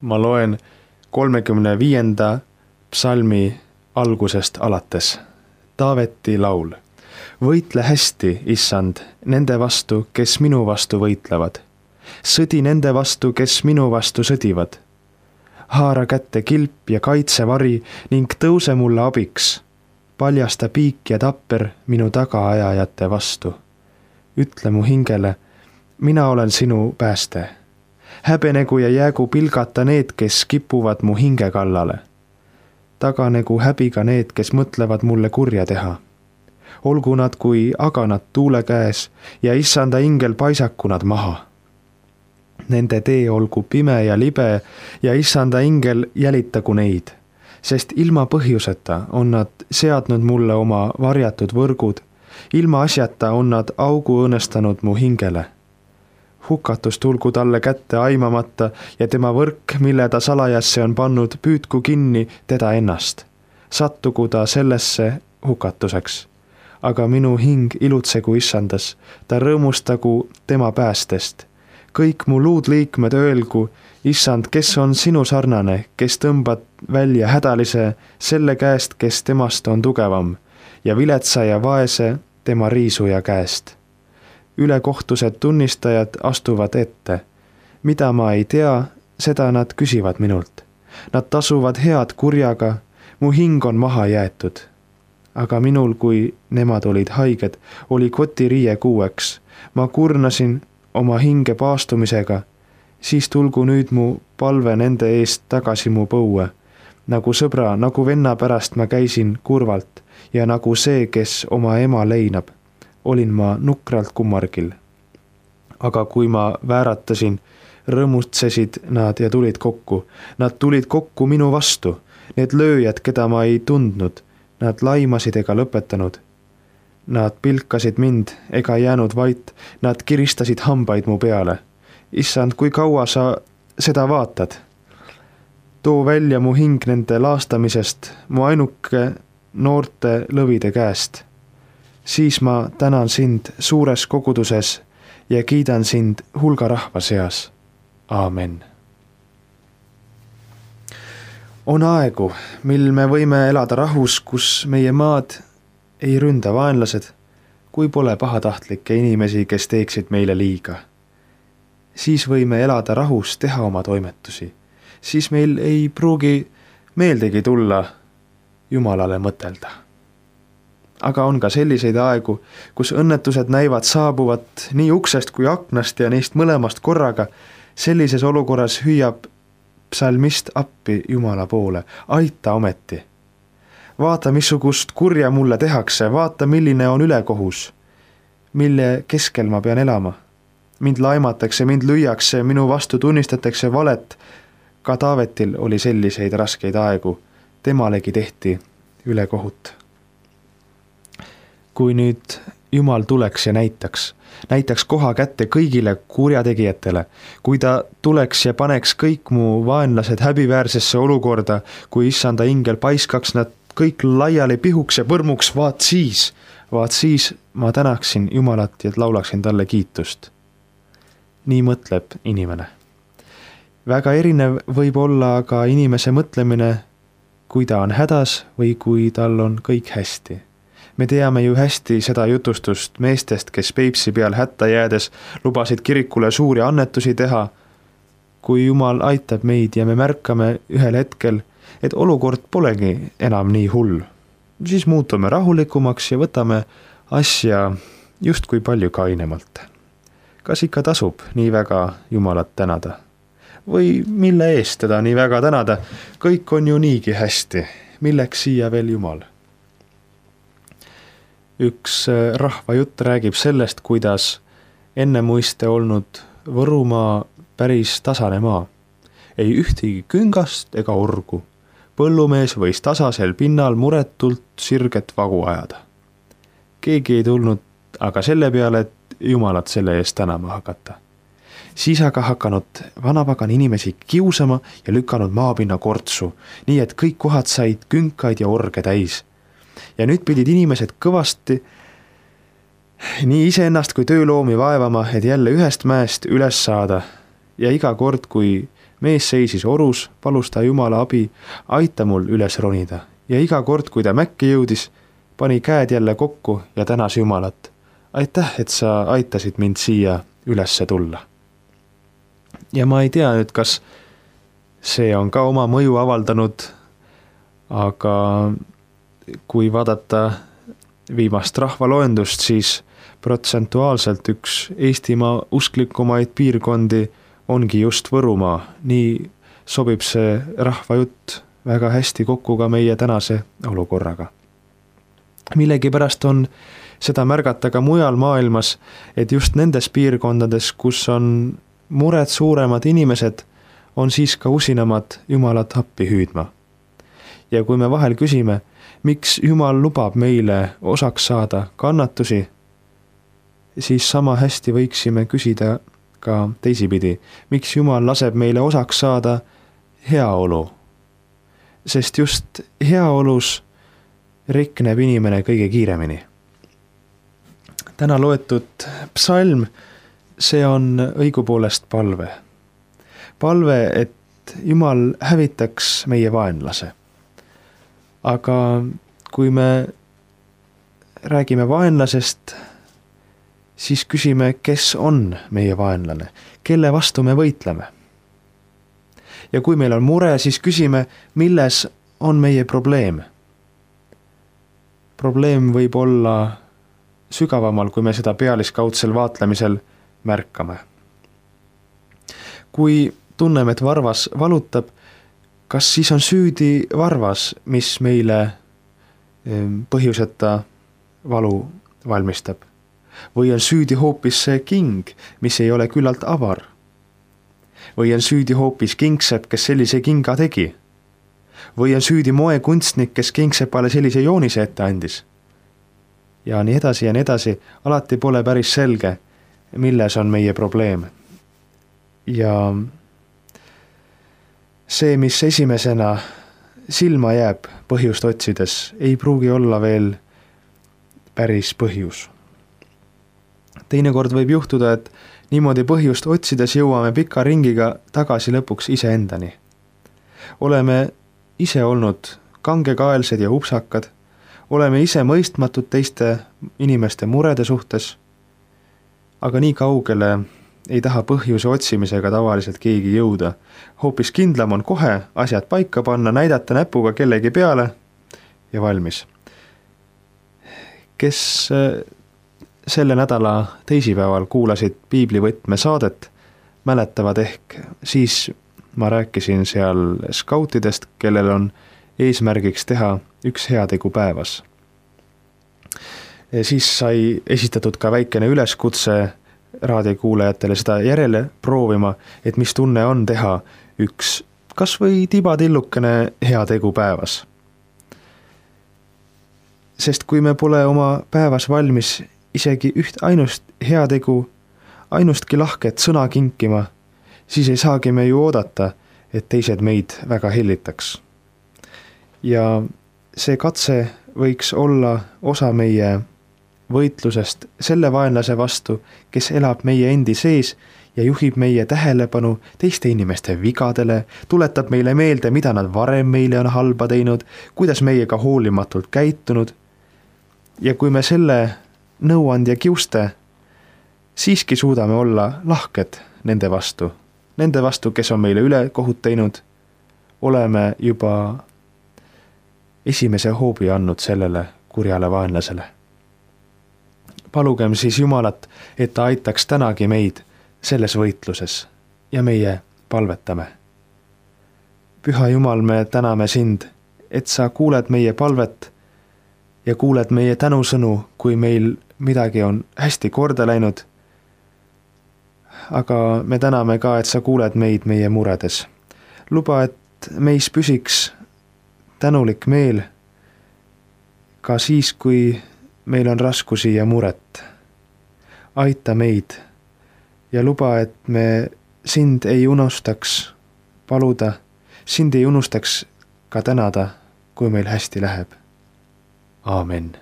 Ma loen 35. psalmi algusest alates. Taaveti laul. Võitle hästi, issand, nende vastu, kes minu vastu võitlevad. Sõdi nende vastu, kes minu vastu sõdivad. Haara kätte kilp ja kaitsevari ning tõuse mulle abiks. Paljasta piik ja tapper minu tagaajajate vastu. Ütle mu hingele, mina olen sinu pääste. Häbenegu ja jäägu pilgata need, kes kipuvad mu hinge kallale. Taganegu häbiga need, kes mõtlevad mulle kurja teha. Olgu nad kui aganad tuule käes ja issanda ingel paisaku nad maha. Nende tee olgu pime ja libe ja issanda ingel jälitagu neid, sest ilma põhjuseta on nad seadnud mulle oma varjatud võrgud, ilma asjata on nad augu õõnestanud mu hingele. Hukatus tulgu talle kätte aimamata ja tema võrk, mille ta salajasse on pannud, püüdku kinni teda ennast. Sattugu ta sellesse hukatuseks. Aga minu hing ilutsegu issandas, ta rõõmustagu tema päästest. Kõik mu luudliikmed öelgu, issand, kes on sinu sarnane, kes tõmbad välja hädalise selle käest, kes temast on tugevam, ja viletsa ja vaese tema riisuja käest. Ülekohtused tunnistajad astuvad ette. Mida ma ei tea, seda nad küsivad minult. Nad tasuvad head kurjaga, mu hing on maha jäetud. Aga minul, kui nemad olid haiged, oli kotiriie kuueks. Ma kurnasin oma hinge paastumisega, siis tulgu nüüd mu palve nende eest tagasi mu põue. Nagu sõbra, nagu venna pärast ma käisin kurvalt ja nagu see, kes oma ema leinab. Olin ma nukralt kummargil. Aga kui ma vääratasin, rõõmutsesid nad ja tulid kokku. Nad tulid kokku minu vastu. Need lööjad, keda ma ei tundnud, nad laimasid ega lõpetanud. Nad pilkasid mind ega jäänud vait, nad kiristasid hambaid mu peale. Issand, kui kaua sa seda vaatad? Too välja mu hing nende laastamisest, mu ainuke noorte lõvide käest. Siis ma tänan sind suures koguduses ja kiidan sind hulga rahva seas. Aamen. On aegu, mil me võime elada rahus, kus meie maad ei ründa vaenlased, kui pole pahatahtlikke inimesi, kes teeksid meile liiga. Siis võime elada rahus, teha oma toimetusi. Siis meil ei pruugi meeldegi tulla Jumalale mõtelda. Aga on ka selliseid aegu, kus õnnetused näivad saabuvat nii uksest kui aknast ja neist mõlemast korraga. Sellises olukorras hüüab psalmist appi Jumala poole. Aita ometi. Vaata, missugust kurja mulle tehakse. Vaata, milline on ülekohus. Mille keskel ma pean elama. Mind laimatakse, mind lüüakse, minu vastu tunnistatakse valet. Ka Taavetil oli selliseid raskeid aegu. Temalegi tehti ülekohut. Kui nüüd Jumal tuleks ja näitaks koha kätte kõigile kurjategijatele, kui ta tuleks ja paneks kõik mu vaenlased häbiväärsesse olukorda, kui issanda ingel paiskaks nad kõik laiali pihuks ja põrmuks, vaat siis ma tänaksin Jumalat ja laulaksin talle kiitust. Nii mõtleb inimene. Väga erinev võib olla aga inimese mõtlemine, kui ta on hädas või kui tal on kõik hästi. Me teame ju hästi seda jutustust meestest, kes Peipsi peal hätta jäädes lubasid kirikule suuri annetusi teha. Kui Jumal aitab meid ja me märkame ühel hetkel, et olukord polegi enam nii hull, siis muutume rahulikumaks ja võtame asja justkui palju kainemalt. Kas ikka tasub nii väga Jumalat tänada? Või mille eest teda nii väga tänada? Kõik on ju niigi hästi. Milleks siia veel Jumal? Üks rahvajutt räägib sellest, kuidas ennemuiste olnud Võrumaa päris tasane maa. Ei ühtegi küngast ega orgu. Põllumees võis tasasel pinnal muretult sirget vagu ajada. Keegi ei tulnud aga selle peale, et Jumalat selle eest tänama hakata. Siis aga hakanud vanapagan inimesi kiusama ja lükanud maapinna kortsu, nii et kõik kohad said künkaid ja orge täis. Ja nüüd pidid inimesed kõvasti nii iseennast kui tööloomi vaevama, et jälle ühest mäest üles saada. Ja iga kord, kui mees seisis orus, palus ta Jumala abi, aita mul üles ronida. Ja iga kord, kui ta mäkke jõudis, pani käed jälle kokku ja tänas Jumalat. Aitäh, et sa aitasid mind siia ülesse tulla. Ja ma ei tea nüüd, kas see on ka oma mõju avaldanud, aga kui vaadata viimast rahvaloendust, siis protsentuaalselt üks Eestimaa usklikumaid piirkondi ongi just Võrumaa. Nii sobib see rahvajutt väga hästi kokku ka meie tänase olukorraga. Millegipärast on seda märgata ka mujal maailmas, et just nendes piirkondades, kus on mured suuremad inimesed, on siis ka usinamad Jumalat appi hüüdma. Ja kui me vahel küsime, miks Jumal lubab meile osaks saada kannatusi, siis sama hästi võiksime küsida ka teisipidi, miks Jumal laseb meile osaks saada heaolu. Sest just heaolus rikneb inimene kõige kiiremini. Täna loetud psalm, see on õigupoolest palve. Palve, et Jumal hävitaks meie vaenlase. Aga kui me räägime vaenlasest, siis küsime, kes on meie vaenlane, kelle vastu me võitleme. Ja kui meil on mure, siis küsime, milles on meie probleem. Probleem võib olla sügavamal, kui me seda pealiskaudsel vaatlemisel märkame. Kui tunneme, et varvas valutab, kas siis on süüdi varvas, mis meile põhjuseta valu valmistab? Või on süüdi hoopis see king, mis ei ole küllalt avar? Või on süüdi hoopis kingsepp, kes sellise kinga tegi? Või on süüdi moekunstnik, kes kingsepale sellise joonise ette andis? Ja nii edasi ja nii edasi, alati pole päris selge, milles on meie probleem. Ja see, mis esimesena silma jääb põhjust otsides, ei pruugi olla veel päris põhjus. Teinekord võib juhtuda, et niimoodi põhjust otsides jõuame pika ringiga tagasi lõpuks iseendani. Oleme ise olnud kangekaelsed ja upsakad, oleme ise mõistmatud teiste inimeste murede suhtes, aga nii kaugele ei taha põhjuse otsimisega tavaliselt keegi jõuda. Hoopis kindlam on kohe asjad paika panna, näidata näpuga kellegi peale ja valmis. Kes selle nädala teisipäeval kuulasid piiblivõtme saadet, mäletavad ehk, siis ma rääkisin seal skautidest, kellel on eesmärgiks teha üks heategu päevas. Siis sai esitatud ka väikene üleskutse raadiokuulajatele seda järele proovima, et mis tunne on teha üks kas või tibatillukene heategu päevas. Sest kui me pole oma päevas valmis isegi üht ainust heategu, ainustki lahket sõna kinkima, siis ei saagi me ju oodata, et teised meid väga hellitaks. Ja see katse võiks olla osa meie võitlusest selle vaenlase vastu, kes elab meie endi sees ja juhib meie tähelepanu teiste inimeste vigadele, tuletab meile meelde, mida nad varem meile on halba teinud, kuidas meiega hoolimatult käitunud. Ja kui me selle nõuandja kiuste siiski suudame olla lahked nende vastu, kes on meile üle kohut teinud, oleme juba esimese hoobi andnud sellele kurjale vaenlasele. Palugem siis Jumalat, et ta aitaks tänagi meid selles võitluses ja meie palvetame. Püha Jumal, me täname sind, et sa kuuled meie palvet ja kuuled meie tänusõnu, kui meil midagi on hästi korda läinud. Aga me täname ka, et sa kuuled meid meie muredes. Luba, et meis püsiks tänulik meel ka siis, kui meil on raskusi ja muret. Aita meid ja luba, et me sind ei unustaks paluda, sind ei unustaks ka tänada, kui meil hästi läheb. Aamen.